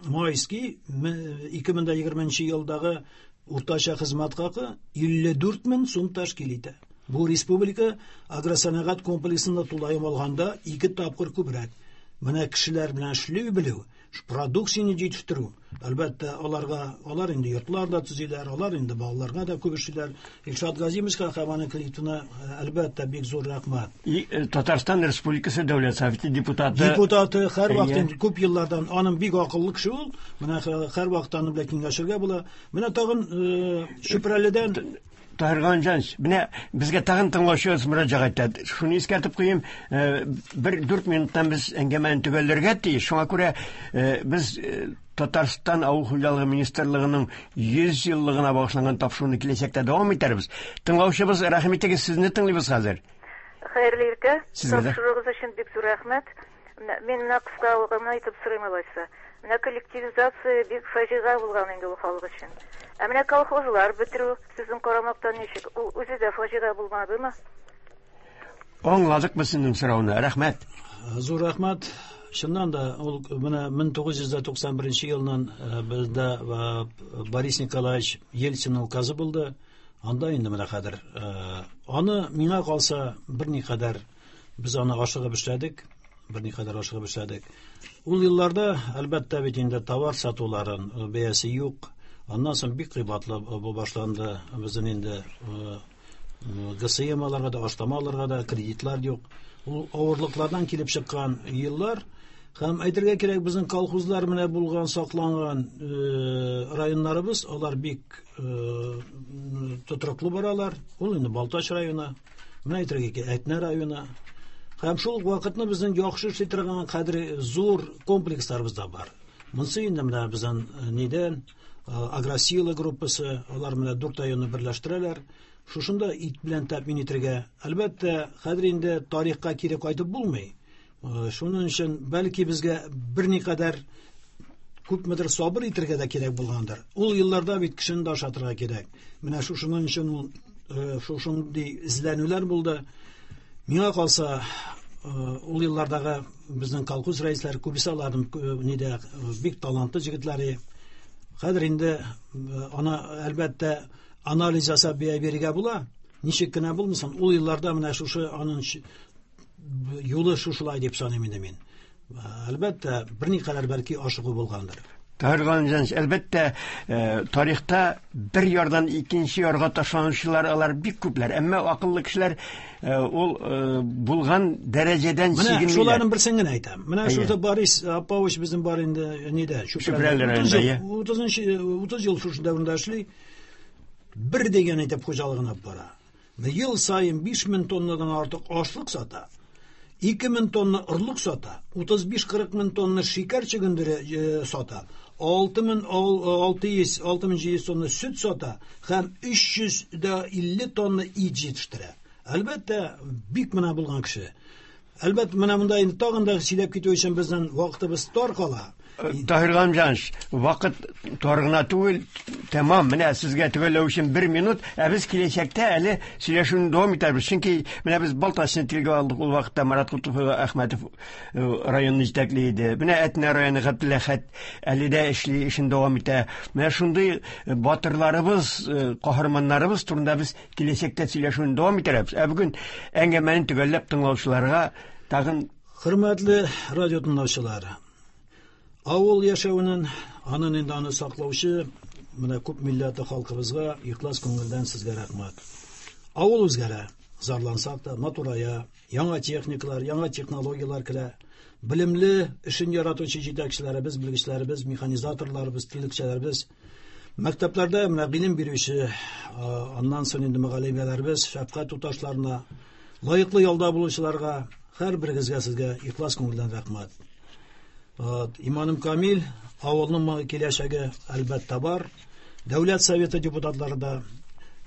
Майский 2020 елдагы уртача хезмәт хакы 54 мең сум тәшкил итә. Бу республика агросәнәгать комплексында тулаем алганда 2 тапкыр күбрәк. Менә кешеләр белән эшли белү, продукцияне җитештерү. Әлбәттә, аларга, алар инде йортлар да төзиләр, алар инде балаларга да күп эшлиләр. Илшат Газимовичка һәм аның коллективына, әлбәттә, бик зур рәхмәт. Татарстан Республикасы Дәүләт Советы депутаты. Депутаты һәрвакыт инде күп еллардан, аның бик акыллы кеше ул. Менә һәрвакыт аның белән киңәшергә була. Менә тагын Чүпрәледән Таһир Галимҗанович, менә безгә тагын тыңлаучыбыз мөрәҗәгать итә. Шуны искәртеп куйыйм, бер 4 минуттан без әңгәмәне төгәлләргә тиеш. Шуңа күрә без Татарстан Авыл хуҗалыгы министрлыгының 100 еллыгына багышланган тапшыруны киләчәктә дәвам итәрбез. Тыңлаучыбыз, рәхим итегез, сезне тыңлыйбыз хәзер. Хәерле иртә. Тапшыруыгыз өчен бик зур рәхмәт. Мин менә кыска гына итеп сорыйм алайса. Менә коллективизация бик фаҗига булган инде ул халык өчен. Ә менә колхозлар бетерү сезнең карамактан ничек? Ул үзе дә фаҗига булмадымы? Аңладык без сезнең сорауны. Рәхмәт. Зур рәхмәт. Чыннан да ул менә 1991 елның бездә Борис Николаевич Ельцин указы булды. Анда инде менә хәзер аны миңа калса берникадәр без аны ашыгып эшләдек, берникадәр ашыгып эшләдек. Ул елларда, әлбәттә бит инде товар сатуларын бәясе юк. Аннан соң бик кыйбатлы бу башланды. Безнең инде ГСМ аларга да, ашлама аларга да кредитлар юк. Ул авырлыклардан килеп чыккан еллар. Һәм әйтергә кирәк, безнең колхозлар менә булган, сакланган районнарыбыз, алар бик тотрыклы баралар. Ул инде Балтач районы, менә әйтергә кирәк, Әтнә районы. Һәм шул ук вакытны безнең яхшы эшли торган кадри зур комплексларыбыз да бар. Монысы инде менә безнең нидән Агросила группасы, алар менә 4 районны берләштерәләр. Шушында ит белән тәэмин итәргә. Әлбәттә, хәзер инде тарихка кире кайтып булмый. Шуның өчен бәлки безгә берникадәр күпмедер сабыр итәргә дә кирәк булгандыр. Ул елларда бит кешене дә ашатырга кирәк. Менә шушының өчен ул шушындый эзләнүләр булды. Миңа калса, ул еллардагы безнең колхоз рәисләре күбесе аларның нидә бик талантлы җегетләре. Хәзер инде аны әлбәттә анализ ясап бәя бирергә була. Ничек кенә булмасын, ул елларда менә шушы аның юлы шушылай дип саныйм инде мин. Әлбәттә, берникадәр бәлки ашыгу булгандыр. Таһир Галимҗанович, әлбәттә, тарихта бер ярдан икенче ярга ташланучылар алар бик күпләр. Әмма акыллы кешеләр ул булган дәрәҗәдән чигенмиләр. Менә шуларның берсен генә әйтәм. Менә шушы Борис Павлович безнең бар инде нидә, Чүпрәле районында. 30 ел шушы дәверендә эшли. Бер дигән итеп хуҗалыгын алып бара. Ел саен 5000 тоннадан артык ашлык сата. 2000 тонна орлык сата, 35-40 мең тонна шикәр чөгендере сата, 6600, 6700 тонна сөт сата һәм 350 тонна ит җитештерә. Әлбәттә, бик менә булган кеше. Әлбәттә, менә монда инде тагын да сөйләп китү өчен безнең вакытыбыз тар кала. Таһир Галимҗанович, вакыт тар гына түгел, тәмам. Менә сезгә төгәлләү өчен 1 минут, ә без киләчәктә әле сөйләшүне дәвам итәрбез. Чөнки менә без Балтачны телгә алдык, ул вакытта Марат Кутуфов Әхмәтов районны җитәкли иде. Менә Әтнә районы Габделәхәт әле дә эшли, эшен дәвам итә. Менә шундый батырларыбыз, каһарманнарыбыз турында без киләчәктә сөйләшүне дәвам итәрбез. Ә бүген әңгәмәне төгәлләп тыңлаучыларга тагын Хөрмәтле радио тыңлаучылар, авыл яшәвенең, анын инде аны саклаучы менә күп милләтле халкыбызга ихлас күңелдән сезгә рәхмәт. Авыл үзгәрә, зарлансак та, матурая, яңа техникалар, яңа технологияләр керә. Белемле, эшен яратучы җитәкчеләребез, белгечләребез, механизаторларыбыз, терлекчеләребез, мәктәпләрдә менә белем бирүче, аннан соң инде мөгаллимәләребез, шәфкать туташларына, лаеклы ялда булучыларга, һәр берегезгә сезгә ихлас күңелдән рәхмәт. Иманым камил, авылның киләчәге әлбәттә бар. Дәүләт Советы депутатлары да,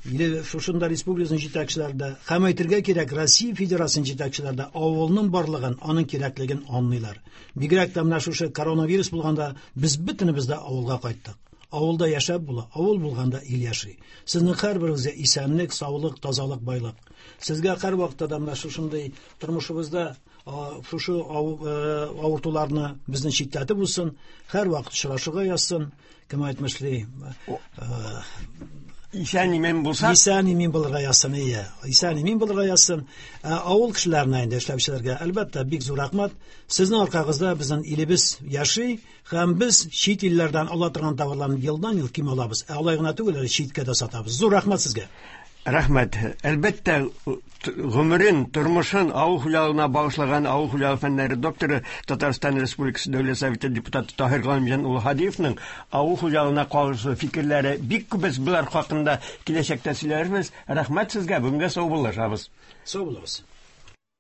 или шушында республикасының җитәкчеләре дә, һәм әйтергә кирәк, Россия Федерациясының җитәкчеләре дә авылның барлыгын, аның кирәклеген аңлыйлар. Бигрәк тә менә шушы коронавирус булганда без бөтенебез дә авылга кайттык. Авылда яшәп була, авыл булганда ил яши. Сезнең һәрберегезгә исәнлек, саулык, тазалык, байлык. Сезгә һәр вакытта да менә шушындый тормышыбызда шушы авыртуларны безне читләтеп узсын, һәр вакыт очрашырга язсын, кем әйтмешли, Исән имин булсак. Исән имин булырга язсын, ие. Исән имин булырга язсын. Ә, авыл кешеләренә инде эшләүчеләргә, әлбәттә, бик зур рәхмәт. Сезнең аркагызда безнең илебез яши һәм без чит илләрдән ала торган товарларны елдан-ел ким алабыз. Ә алай гына түгел, әле читкә дә сатабыз. Зур рәхмәт сезгә. Рәхмәт. Әлбәттә, гомерен, тормышын авыл хуҗалыгына багышлаган авыл хуҗалыгы фәннәре докторы, Татарстан Республикасы Дәүләт Советы депутаты Таһир Галимҗан улы Һадиевның авыл хуҗалыгына кагылышлы фикерләре бик күп. Без болар хакында киләчәктә сөйләрбез. Рәхмәт сезгә, бүгенгә саубуллашабыз. Сау булыгыз.